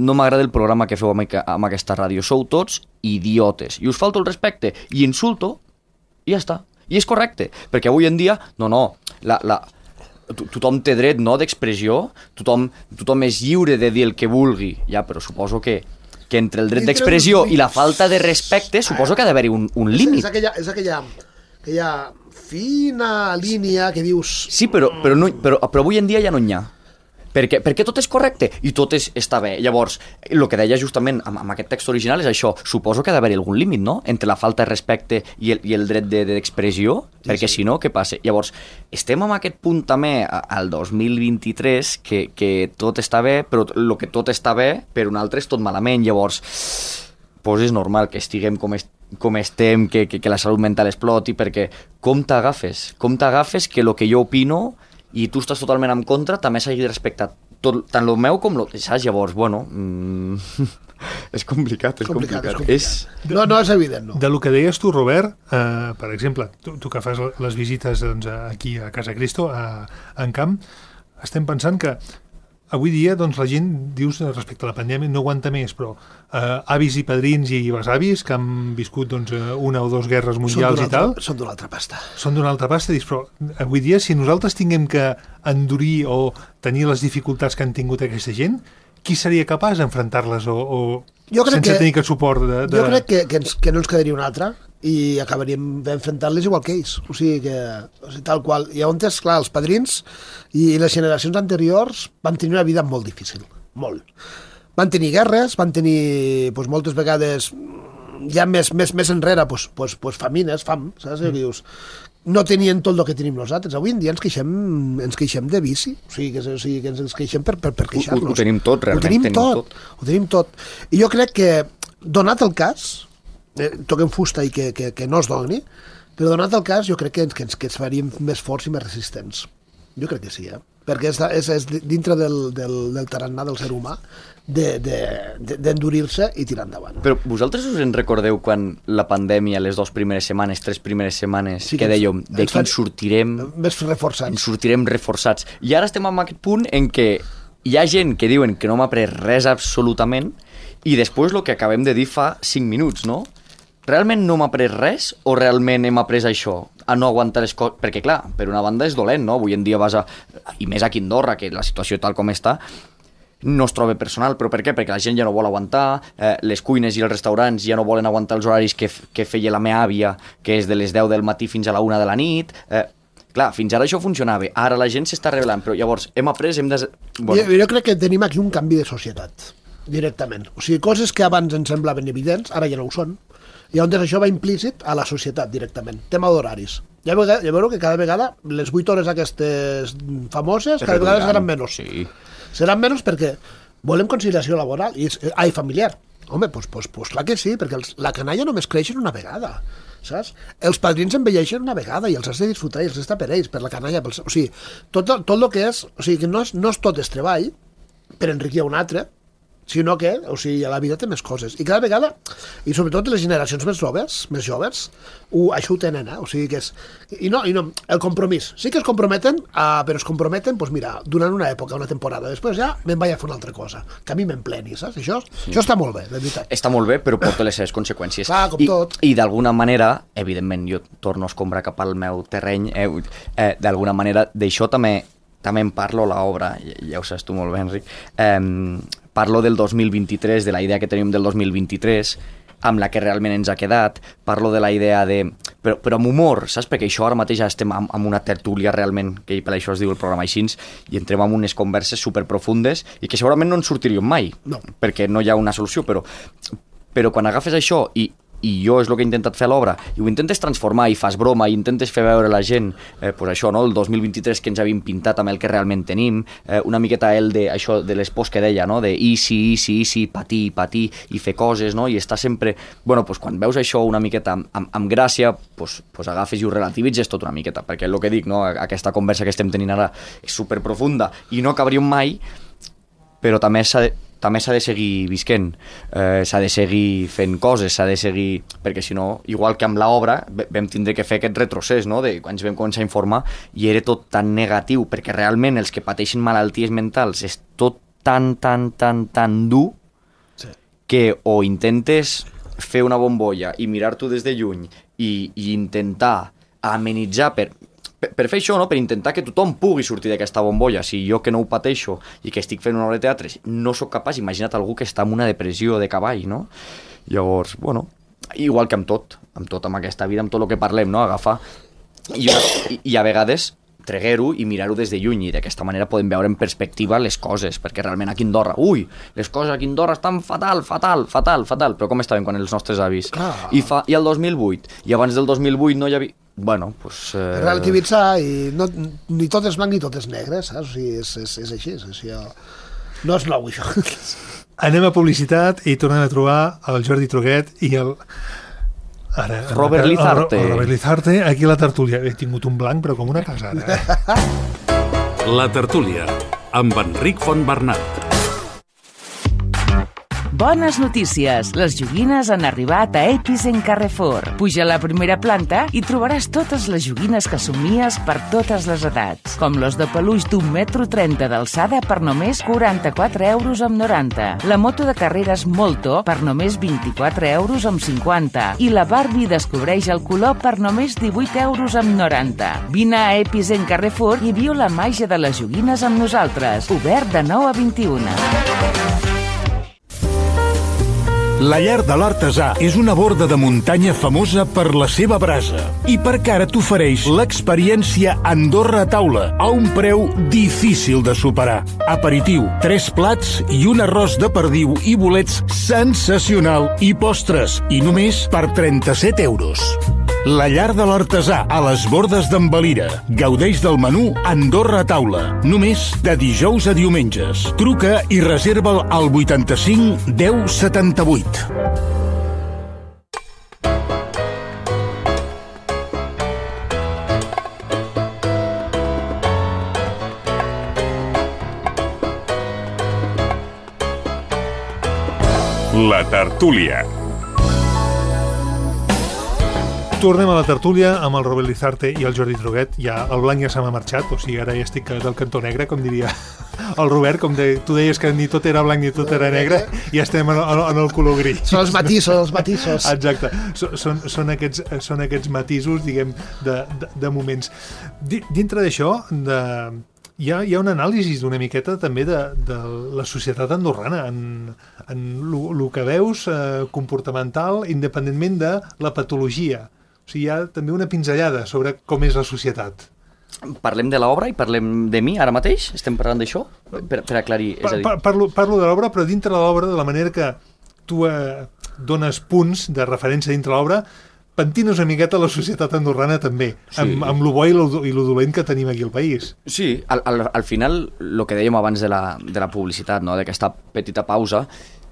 [SPEAKER 4] no m'agrada el programa que feu amb, amb aquesta ràdio, sou tots idiotes, i us falto el respecte, i insulto, i ja està. I és correcte, perquè avui en dia, no, no, la, la, to tothom té dret, no?, d'expressió, tothom, tothom és lliure de dir el que vulgui, ja, però suposo que, que entre el dret d'expressió i la falta de respecte, suposo que ha d'haver-hi un, un límit.
[SPEAKER 3] És, és aquella, és aquella, aquella fina línia que dius...
[SPEAKER 4] Sí, però, però, no, però, però avui en dia ja no n'hi ha. Perquè, perquè tot és correcte i tot és, està bé. Llavors, el que deia justament amb, amb aquest text original és això. Suposo que ha d'haver algun límit, no?, entre la falta de respecte i el, i el dret d'expressió, de, sí, perquè sí. Si no, què passa? Llavors, estem en aquest punt també al dos mil vint-i-tres que, que tot està bé, però el que tot està bé per un altre és tot malament. Llavors, pues és normal que estiguem com estem, com estem, que, que, que la salut mental exploti, perquè com t'agafes? Com t'agafes que el que jo opino i tu estàs totalment en contra, també s'hagi de respectar tot, tant el meu com el... Saps? Llavors, bueno... Mm, és complicat, és complicat. complicat. És...
[SPEAKER 3] No, no és evident, no.
[SPEAKER 2] De lo que deies tu, Robert, eh, per exemple, tu, tu que fas les visites doncs, aquí a Casa Cristo, a, a en camp, estem pensant que avui dia doncs, la gent, dius, respecte a la pandèmia, no aguanta més, però eh, avis i padrins i besavis que han viscut doncs, una o dues guerres mundials i tal...
[SPEAKER 3] Són d'una altra pasta.
[SPEAKER 2] Són d'una altra pasta, dius, però avui dia, si nosaltres tinguem que endurir o tenir les dificultats que han tingut aquesta gent, qui seria capaç d'enfrontar-les o, o sense que, tenir aquest suport de, de...
[SPEAKER 3] Jo crec que, que, ens, que no ens quedaria una altra i acabaríem enfrontant-les igual que ells. O sigui que, o sigui, tal qual. I on és, clar, els padrins i les generacions anteriors van tenir una vida molt difícil, molt. Van tenir guerres, van tenir pues, moltes vegades, ja més, més, més enrere, pues, pues, pues, famines, fam, saps? Mm. Dius, no tenien tot el que tenim nosaltres. Avui en dia ens queixem, ens queixem de vici, o sigui, que, o sigui, que ens queixem per, per, per queixar-nos.
[SPEAKER 4] Ho, ho tenim tot, realment.
[SPEAKER 3] Ho tenim,
[SPEAKER 4] tenim
[SPEAKER 3] tot,
[SPEAKER 4] tot.
[SPEAKER 3] Ho tenim tot. I jo crec que, donat el cas, eh, toquem fusta i que, que, que no es doni, però donat el cas jo crec que ens, que ens, que ens faríem més forts i més resistents. Jo crec que sí, eh? Perquè és, és, és dintre del, del, del tarannà del ser humà d'endurir-se de, de, i tirar endavant.
[SPEAKER 4] Però vosaltres us en recordeu quan la pandèmia, les dues primeres setmanes, tres primeres setmanes, sí que, que dèiem, de qui ens sortirem...
[SPEAKER 3] Més reforçats.
[SPEAKER 4] Ens sortirem reforçats. I ara estem en aquest punt en què hi ha gent que diuen que no m'ha après res absolutament i després el que acabem de dir fa cinc minuts, no? Realment no m'ha après res o realment hem après això? A no aguantar les coses... Perquè, clar, per una banda és dolent, no? Avui en dia vas a... I més aquí a Andorra, que la situació tal com està, no es troba personal. Però per què? Perquè la gent ja no vol aguantar, eh, les cuines i els restaurants ja no volen aguantar els horaris que, que feia la meva àvia, que és de les deu del matí fins a la una de la nit... Eh, clar, fins ara això funcionava. Ara la gent s'està revelant, però llavors hem après... Hem de... bueno.
[SPEAKER 3] jo, jo crec que tenim aquí un canvi de societat, directament. O sigui, coses que abans ens semblaven evidents, ara ja no ho són. I on això va implícit a la societat directament. Tema d'horaris. Ja, ja veureu que cada vegada les vuit hores aquestes famoses cada vegada seran menys.
[SPEAKER 4] Sí.
[SPEAKER 3] Seran menys perquè volem conciliació laboral i ai, familiar. Home, doncs pues, pues, pues, clar que sí, perquè els, la canalla només creixen una vegada. Saps? Els padrins envelleixen una vegada i els has de disfrutar i els està per ells, per la canalla. Pels, o sigui, tot, tot el que és... O sigui, que no és, no és tot és treball per enriquir un altre, sinó que, o sigui, a la vida té més coses. I cada vegada, i sobretot les generacions més joves, més joves, ho, això ho tenen, eh? O sigui que és... I no, i no, el compromís. Sí que es comprometen, uh, però es comprometen, doncs mira, durant una època, una temporada. Després ja me'n vaig a fer una altra cosa. Que a mi m'empleni, saps? Això, sí. Això està molt bé, de veritat.
[SPEAKER 4] Està molt bé, però porta les seves conseqüències.
[SPEAKER 3] Clar, com
[SPEAKER 4] I,
[SPEAKER 3] tot.
[SPEAKER 4] I d'alguna manera, evidentment, jo torno a escombrar cap al meu terreny, eh, eh, d'alguna manera, d'això també també en parlo a l'obra, ja ho saps tu molt bé, Enric, eh, parlo del dos mil vint-i-tres, de la idea que tenim del dos mil vint-i-tres, amb la que realment ens ha quedat, parlo de la idea de... Però, però amb humor, saps? Perquè això ara mateix ja estem amb, amb una tertúlia realment, que per això es diu el programa així, i entrem en unes converses superprofundes i que segurament no ens sortiríem mai,
[SPEAKER 3] no.
[SPEAKER 4] Perquè no hi ha una solució, però, però quan agafes això i i jo és el que he intentat fer a l'obra, i ho intentes transformar i fas broma i intentes fer veure a la gent eh, pues això, no? El dos mil vint-i-tres que ens havíem pintat amb el que realment tenim, eh, una miqueta el de, això, de les pors que deia, no? De easy, easy, easy, patir, patir i fer coses, no? I està sempre... Bueno, pues quan veus això una miqueta amb, amb, amb gràcia, pues, pues agafes i ho relativitzes tot una miqueta, perquè el que dic, no? Aquesta conversa que estem tenint ara és superprofunda i no acabaríem mai, però també s'ha de... també s'ha de seguir visquent, eh, s'ha de seguir fent coses, s'ha de seguir... Perquè si no, igual que amb l'obra, vam tindre que fer aquest retrocés, no?, de quan ens vam començar a informar, i era tot tan negatiu, perquè realment els que pateixen malalties mentals és tot tan, tan, tan, tan dur, que o intentes fer una bombolla i mirar-t'ho des de lluny i, i intentar amenitzar per, per, per fer això, no? Per intentar que tothom pugui sortir d'aquesta bombolla. Si jo que no ho pateixo i que estic fent una obra de teatre no sóc capaç, imagina't algú que està en una depressió de cavall, no? Llavors, bueno, igual que amb tot, amb tot, amb aquesta vida, amb tot el que parlem, no? Agafar i, i, i a vegades treguer-ho i mirar-ho des de lluny, i d'aquesta manera podem veure en perspectiva les coses, perquè realment aquí a Andorra, ui, les coses aquí a Andorra estan fatal, fatal, fatal, fatal, però com estaven quan els nostres avis?
[SPEAKER 3] Clar.
[SPEAKER 4] I, fa, I el dos mil vuit, i abans del dos mil vuit no hi havia... Bueno, pues... Eh...
[SPEAKER 3] Relativitzar, i no, ni tot és blanc ni tot és negre, saps? O sigui, és, és, és així, és així. No és nou, això.
[SPEAKER 2] Anem a publicitat i tornem a trobar el Jordi Truquet i el... Ara,
[SPEAKER 4] Robert
[SPEAKER 2] el,
[SPEAKER 4] Lizarte.
[SPEAKER 2] El, el Robert Lizarte, aquí a la tertúlia. He tingut un blanc, però com una casa, ara. Eh?
[SPEAKER 1] La tertúlia, amb Enric Fontbernat.
[SPEAKER 5] Bones notícies! Les joguines han arribat a Episen Carrefour. Puja a la primera planta i trobaràs totes les joguines que somies per totes les edats, com los de peluix d'un metro trenta d'alçada per només quaranta-quatre euros amb noranta, la moto de carreres Molto per només vint-i-quatre euros amb cinquanta i la Barbie descobreix el color per només divuit euros amb noranta. Vine a Episen Carrefour i viu la màgia de les joguines amb nosaltres. Obert de nou a vint-i-una.
[SPEAKER 6] La Llar de l'Artesà és una borda de muntanya famosa per la seva brasa i perquè ara t'ofereix l'experiència Andorra a taula a un preu difícil de superar. Aperitiu, tres plats i un arròs de perdiu i bolets sensacional i postres, i només per trenta-set euros. La Llar de l'Artesà, a les bordes d'en Valira. Gaudeix del menú Andorra a taula, només de dijous a diumenges. Truca i reserva'l al vuitanta-cinc deu setanta-vuit.
[SPEAKER 7] La tertúlia.
[SPEAKER 2] Tornem a la tertúlia amb el Robert Lizarte i el Jordi Truquet. Ja, el blanc ja se m'ha marxat, o sigui, ara ja estic del cantó negre, com diria el Robert, com de, tu deies que ni tot era blanc ni tot era negre, i estem en, en, en el color gris.
[SPEAKER 3] Són els matisos, els matisos.
[SPEAKER 2] Exacte, són, són, aquests, són aquests matisos, diguem, de, de, de moments. Dintre d'això, de, hi ha, hi ha un anàlisi d'una miqueta també de, de la societat andorrana, en, en el que veus eh, comportamental, independentment de la patologia. O sigui, hi ha també una pinzellada sobre com és la societat.
[SPEAKER 4] Parlem de l'obra i parlem de mi ara mateix? Estem parlant d'això? Per, per aclarir, és a dir...
[SPEAKER 2] Parlo, parlo de l'obra, però dintre de l'obra, de la manera que tu eh, dones punts de referència dintre l'obra, pentines una miqueta la societat andorrana també, sí. amb, amb lo bo i lo, i lo dolent que tenim aquí al país.
[SPEAKER 4] Sí, al, al, al final, el que dèiem abans de la, de la publicitat, no? D'aquesta petita pausa,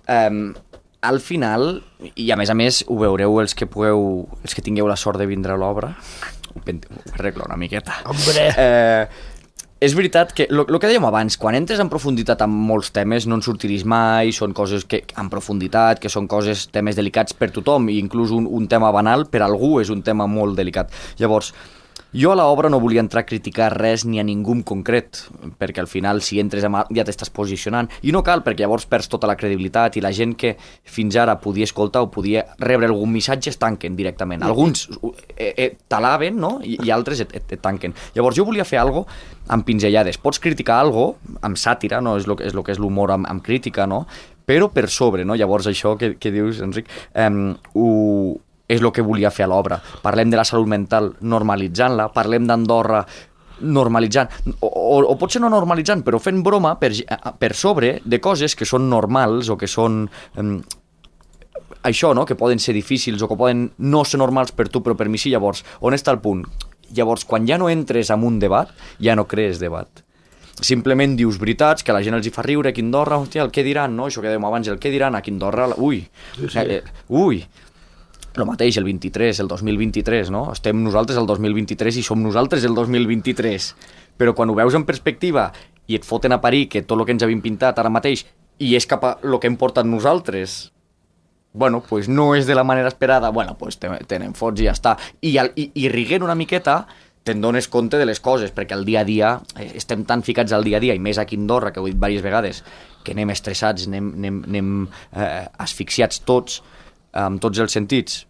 [SPEAKER 4] eh, al final, i a més a més ho veureu els que pugueu, els que tingueu la sort de vindre a l'obra, ho arreglo una miqueta.
[SPEAKER 3] Hombre!
[SPEAKER 4] Eh, és veritat que, el que dèiem abans, quan entres en profunditat amb molts temes no en sortiris mai, són coses que en profunditat, que són coses, temes delicats per tothom, i inclús un, un tema banal per algú és un tema molt delicat. Llavors, jo a l'obra no volia entrar a criticar res ni a ningú en concret, perquè al final si entres amb, ja t'estàs posicionant, i no cal, perquè llavors perds tota la credibilitat i la gent que fins ara podia escoltar o podia rebre algun missatge es tanquen directament. Alguns eh, eh, t'alaben, no? I, i altres et, et, et tanquen. Llavors jo volia fer algo amb pinzellades. Pots criticar algo amb sàtira, no? És lo, és lo que és l'humor amb, amb crítica, no? Però per sobre, no? Llavors això que, que dius, Enric, eh, ho... és el que volia fer a l'obra. Parlem de la salut mental normalitzant-la, parlem d'Andorra normalitzant, o, o, o potser no normalitzant, però fent broma per, per sobre de coses que són normals o que són um, això, no? Que poden ser difícils o que poden no ser normals per tu, però per mi sí. Llavors, on està el punt? Llavors, quan ja no entres en un debat, ja no crees debat. Simplement dius veritats que a la gent els hi fa riure aquí a Andorra, hòstia, el què diran, no? Això que dèiem abans, el què diran aquí a Andorra, ui, sí, sí. Eh, ui, el mateix, el vint-i-tres, el dos mil vint-i-tres, no? Estem nosaltres el dos mil vint-i-tres i som nosaltres el dos mil vint-i-tres. Però quan ho veus en perspectiva i et foten a parir que tot el que ens havim pintat ara mateix i és cap a el que hem portat nosaltres, bueno, pues no és de la manera esperada, bueno, pues te, te n'en fots i ja està. I, i, i riguent una miqueta te'n dones compte de les coses, perquè al dia a dia, eh, estem tan ficats al dia a dia, i més aquí a Andorra, que ho he dit diverses vegades, que anem estressats, anem, anem, anem eh, asfixiats tots, amb tots els sentits.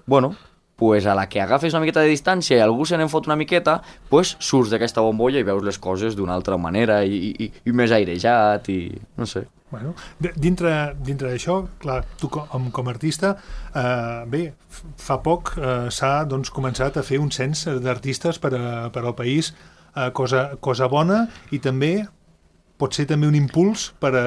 [SPEAKER 4] Bueno, pues a la que agafes una miqueta de distància i algú se n'en fot una miqueta, pues surts d'aquesta bombolla i veus les coses d'una altra manera i, i, i més airejat i no sé.
[SPEAKER 2] Bueno, dintre, dintre d'això, clar, tu com, com a artista, eh, bé, fa poc eh, s'ha doncs, començat a fer un cens d'artistes per, a, per al país, eh, cosa, cosa bona, i també pot ser també un impuls per a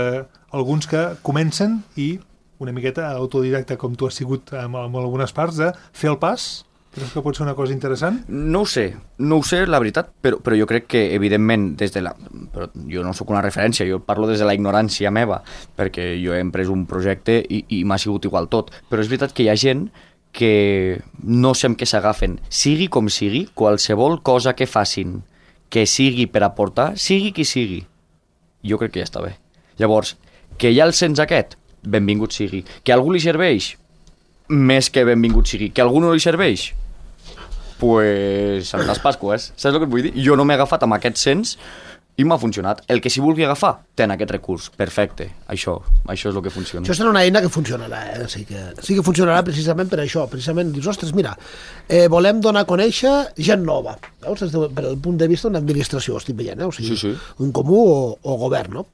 [SPEAKER 2] alguns que comencen i una miqueta autodidacta, com tu has sigut en, en algunes parts, de fer el pas. Creus que pot ser una cosa interessant?
[SPEAKER 4] No ho sé, no ho sé, la veritat, però, però jo crec que, evidentment, des de la... Però jo no sóc una referència, jo parlo des de la ignorància meva, perquè jo he emprès un projecte i, i m'ha sigut igual tot. Però és veritat que hi ha gent que no sé amb què s'agafen. Sigui com sigui, qualsevol cosa que facin que sigui per aportar, sigui qui sigui, jo crec que ja està bé. Llavors, que hi ha el cens aquest, benvingut sigui. Que a algú li serveix, més que benvingut sigui. Que a algú no li serveix, pues Santes Pasques, saps el que et vull dir? Jo no m'he agafat amb aquest cens i m'ha funcionat. El que s'hi vulgui agafar, ten aquest recurs. Perfecte. Això, això és el que funciona.
[SPEAKER 3] Això serà una eina que funcionarà, eh? Sí que, sí que funcionarà precisament per això. Precisament, dius, ostres, mira, eh, volem donar a conèixer gent nova. Veus? Des de, per el punt de vista d'una administració, estic veient, eh? O sigui,
[SPEAKER 4] sí, sí.
[SPEAKER 3] un comú o, o govern, no?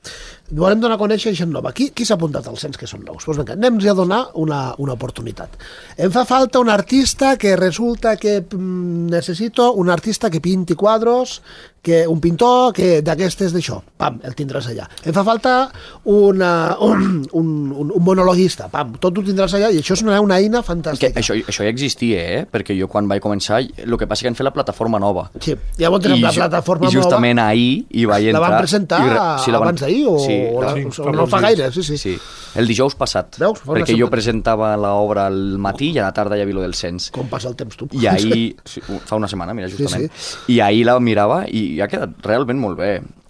[SPEAKER 3] Volem donar a conèixer gent nova. Qui, qui s'ha apuntat al cens que són nous? Doncs vinga, anem-nos a donar una, una oportunitat. Em fa falta un artista que resulta que mm, necessito un artista que pinti quadros, que un pintor que d'aquestes d'això, pam, el tindràs allà. Em fa falta una, un, un, un, un monologuista, pam, tot ho tindràs allà, i això és una, una eina fantàstica.
[SPEAKER 4] Que això, això ja existia, eh? Perquè jo quan vaig començar, el que passa que han fet la plataforma nova.
[SPEAKER 3] Sí, llavors tenim la plataforma nova.
[SPEAKER 4] I justament nova, ahir hi vaig entrar...
[SPEAKER 3] La van presentar i, sí, la van, abans d'ahir, o, sí, o, la, sí, o no fa gaire, sí, sí.
[SPEAKER 4] Sí, el dijous passat.
[SPEAKER 3] Veus?
[SPEAKER 4] Perquè jo presentava l'obra al matí i a la tarda hi havia lo del cens.
[SPEAKER 3] Com passa el temps, tu?
[SPEAKER 4] I ahir, sí, fa una setmana, mira, justament,
[SPEAKER 3] sí, sí.
[SPEAKER 4] I ahir la mirava i ha quedat realment molt bé.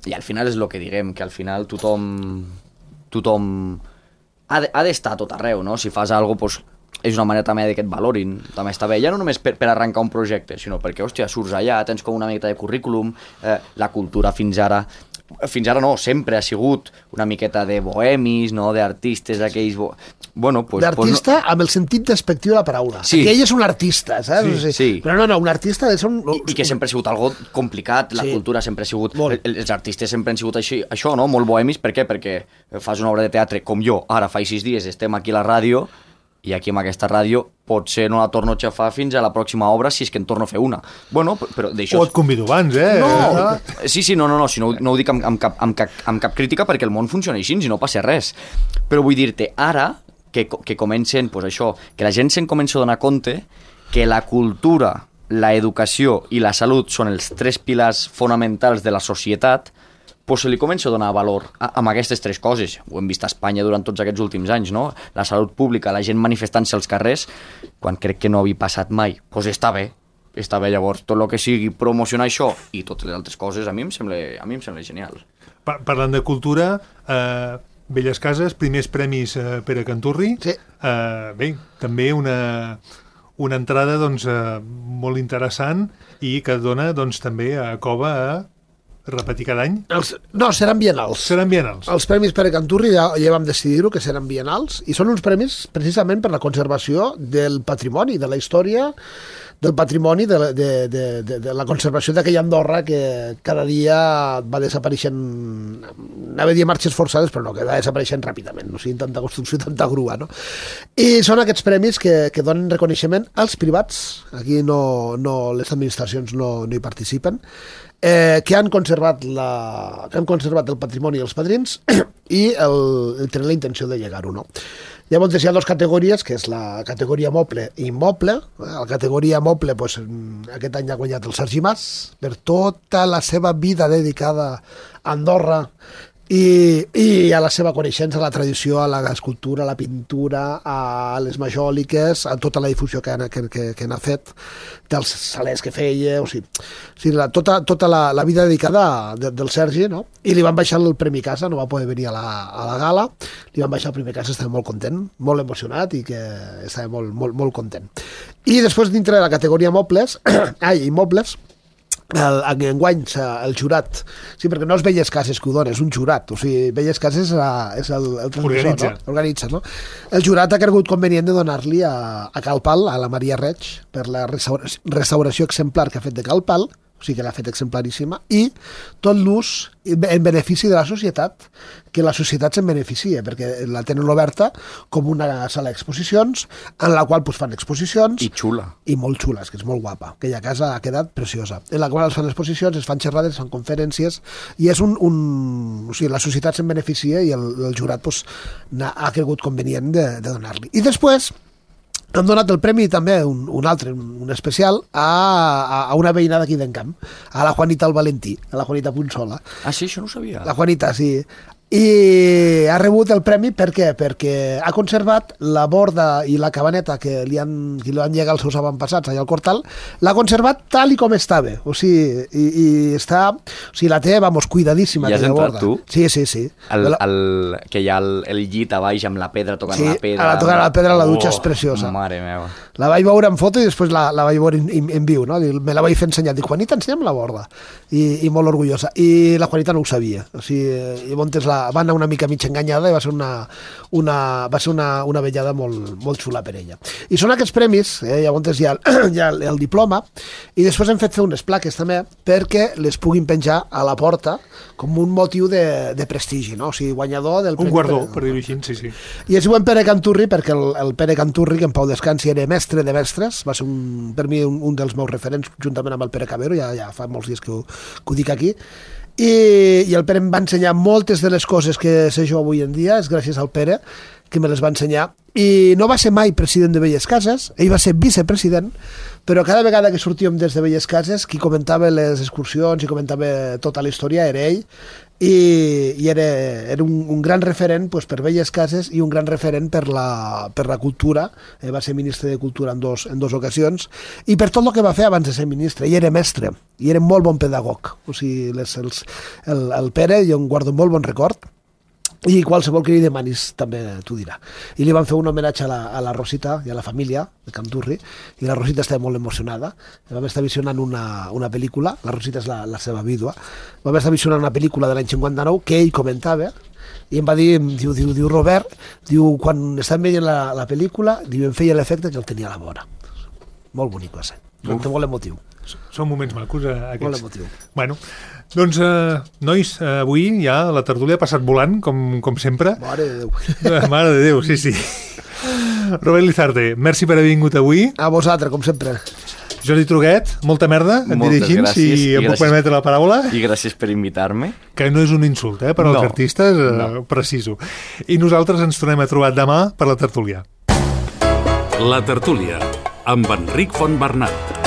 [SPEAKER 4] I al final és el que diguem, que al final tothom tothom ha d'estar de, tot arreu, no? Si fas alguna cosa, doncs, és una manera també que et valorin, també està bé, ja no només per, per arrencar un projecte, sinó perquè, hòstia, surts allà, tens com una miqueta de currículum, eh, la cultura fins ara, fins ara no, sempre ha sigut una miqueta de bohemis, no?, d'artistes, aquells... Bo... Bueno, pues,
[SPEAKER 3] d'artista
[SPEAKER 4] pues no...
[SPEAKER 3] amb el sentit despectiu de la paraula.
[SPEAKER 4] Sí.
[SPEAKER 3] Que ell és un artista, saps?
[SPEAKER 4] Sí,
[SPEAKER 3] o sigui,
[SPEAKER 4] sí.
[SPEAKER 3] Però no, no, un artista és un...
[SPEAKER 4] I, I que sempre ha sigut algo complicat, la sí. cultura sempre ha sigut... Molt. Els artistes sempre han sigut així, això, no?, molt bohemis. Per què? Perquè fas una obra de teatre com jo, ara fa sis dies estem aquí a la ràdio, i aquí amb aquesta ràdio potser no la torno a xafar fins a la pròxima obra si és que en torno a fer una. Bueno, però d'això...
[SPEAKER 2] O et convido abans, eh?
[SPEAKER 4] No, sí, sí, no, no, no, si no, no ho dic amb, amb, cap, amb, cap, amb cap crítica perquè el món funciona així i no passa res. Però vull dir-te, ara que, que comencen, pues això, que la gent se'n comença a donar compte que la cultura, la educació i la salut són els tres pilars fonamentals de la societat, pues se li comença a donar valor a, amb aquestes tres coses. Ho hem vist a Espanya durant tots aquests últims anys, no? La salut pública, la gent manifestant-se als carrers, quan crec que no havia passat mai. Doncs pues està bé, està bé. Llavors, tot el que sigui promocionar això i totes les altres coses, a mi em sembla, a mi em sembla genial.
[SPEAKER 2] Pa parlant de cultura, eh, Belles Cases, primers premis eh, per a Canturri.
[SPEAKER 3] Sí.
[SPEAKER 2] Eh, bé, també una, una entrada doncs, eh, molt interessant i que dona doncs, també a Cova a repetir cada any?
[SPEAKER 3] Els, no, seran bienals.
[SPEAKER 2] Seran bienals.
[SPEAKER 3] Els premis Pere Canturri ja, ja vam decidir-ho, que seran bienals, i són uns premis precisament per la conservació del patrimoni, de la història, del patrimoni, de, de, de, de, de la conservació d'aquella Andorra que cada dia va desapareixent, anava a dir marxes forçades, però no, que va desapareixent ràpidament, no sigui tanta construcció, tanta grua, no? I són aquests premis que, que donen reconeixement als privats, aquí no, no, les administracions no, no hi participen, Eh, que han conservat la, que han conservat el patrimoni dels padrins i el, el tenen la intenció de llegar-ho, no? Llavors hi ha dues categories, que és la categoria moble i immoble. La categoria moble, doncs, aquest any ha guanyat el Sergi Mas per tota la seva vida dedicada a Andorra i, i a la seva coneixença, a la tradició, a l'escultura, a la pintura, a les majòliques, a tota la difusió que, que, que, que n'ha fet, dels salers que feia, o sigui, o sigui la, tota, tota la, la vida dedicada de, del Sergi, no? I li van baixar el Premi Casa, no va poder venir a la, a la gala, li van baixar el Premi Casa, estava molt content, molt emocionat i que estava molt, molt, molt content. I després, dintre de la categoria mobles, ai, immobles, el, enguany el jurat, sí, perquè no és Belles Cases que ho dona, és un jurat, o sigui, Belles Cases és, a, és el, el transmissor, organitza. No? Organitza, no? El jurat ha cregut convenient de donar-li a, a Cal Pal, a la Maria Reig, per la restauració, restauració exemplar que ha fet de Cal Pal, o sigui que l'ha fet exemplaríssima, i tot l'ús en benefici de la societat, que la societat se'n beneficia, perquè la tenen oberta com una sala d'exposicions, en la qual pues, fan exposicions...
[SPEAKER 4] I xula.
[SPEAKER 3] I molt xules, que és molt guapa. Aquella casa ha quedat preciosa. En la qual es fan exposicions, es fan xerrades, es fan conferències, i és un... un o sigui, la societat se'n beneficia i el, el jurat pues, ha cregut convenient de, de donar-li. I després... han donat el premi també, un, un altre, un, un especial, a, a, a una veïna d'aquí d'Encamp, a la Juanita el Valentí, a la Juanita Punsola.
[SPEAKER 4] Ah, sí, això no ho sabia.
[SPEAKER 3] La Juanita, sí. I ha rebut el premi per què? Perquè ha conservat la borda i la cabaneta que li han, que li han llegat els seus avantpassats allà al Cortal, l'ha conservat tal i com estava, o sigui, i, i està, o sigui, la té, vamos, cuidadíssima.
[SPEAKER 4] I has entrat
[SPEAKER 3] borda.
[SPEAKER 4] tu?
[SPEAKER 3] Sí, sí, sí.
[SPEAKER 4] El,
[SPEAKER 3] la...
[SPEAKER 4] el, que hi ha el, el llit a baix amb la pedra, tocant
[SPEAKER 3] sí,
[SPEAKER 4] la pedra.
[SPEAKER 3] Sí, a la tocant la pedra, la dutxa
[SPEAKER 4] oh,
[SPEAKER 3] és preciosa.
[SPEAKER 4] Mare meva.
[SPEAKER 3] La vaig veure en foto i després la, la vaig veure en, en, en viu, no? Me la vaig fer ensenyar. Dic, Juanita, ensenya'm la borda. I, i molt orgullosa. I la Juanita no ho sabia. O sigui, i Montes la, va anar una mica mig enganyada i va ser una, una, va ser una, una vellada molt, molt xula per ella. I són aquests premis, eh, llavors hi ha, hi ha el, el diploma, i després hem fet fer unes plaques també perquè les puguin penjar a la porta com un motiu de, de prestigi, no? O sigui, guanyador del...
[SPEAKER 2] Un guardó, per dir-ho així, sí, sí.
[SPEAKER 3] I es diuen Pere Canturri perquè el, el Pere Canturri, que en Pau descansi, era mestre de mestres, va ser un, per mi un, un dels meus referents juntament amb el Pere Cabero, ja, ja fa molts dies que ho, que ho dic aquí. I, i el Pere em va ensenyar moltes de les coses que sé jo avui en dia, és gràcies al Pere que me les va ensenyar, i no va ser mai president de Belles Cases, ell va ser vicepresident, però cada vegada que sortíem des de Belles Cases, qui comentava les excursions i comentava tota la història era ell, i, i era, era un, un gran referent pues, per Belles Cases i un gran referent per la, per la cultura, eh, va ser ministre de Cultura en dos, en dos ocasions, i per tot el que va fer abans de ser ministre, i era mestre, i era molt bon pedagog, o sigui, les, els, el, el Pere, jo en guardo molt bon record, i qualsevol que li demanis també t'ho dirà. I li van fer un homenatge a la, a la Rosita i a la família de Canturri, i la Rosita estava molt emocionada. Vam estar visionant una, una pel·lícula, la Rosita és la, la seva vídua, vam estar visionant una pel·lícula de l'any cinquanta-nou que ell comentava, i em va dir, diu, diu, diu Robert, diu, quan estàvem veient la, la pel·lícula, diu, em feia l'efecte que el tenia a la vora. Molt bonic va ser, molt emotiu.
[SPEAKER 2] Són moments macos, eh, aquests.
[SPEAKER 3] Molt emotiu.
[SPEAKER 2] Bueno, doncs, eh, nois, eh, avui ja la tertúlia ha passat volant, com, com sempre.
[SPEAKER 3] Mare de Déu.
[SPEAKER 2] Eh, Mare de Déu, sí, sí. Robert Lizarte, merci per haver vingut avui.
[SPEAKER 3] A vosaltres, com sempre.
[SPEAKER 2] Jordi Truguet, molta merda, et diré així, si em puc permetre la paraula.
[SPEAKER 4] I gràcies per invitar-me.
[SPEAKER 2] Que no és un insult, eh, per als
[SPEAKER 4] no,
[SPEAKER 2] artistes, eh,
[SPEAKER 4] no.
[SPEAKER 2] preciso. I nosaltres ens tornem a trobar demà per la tertúlia.
[SPEAKER 1] La tertúlia, amb Enric Fontbernat.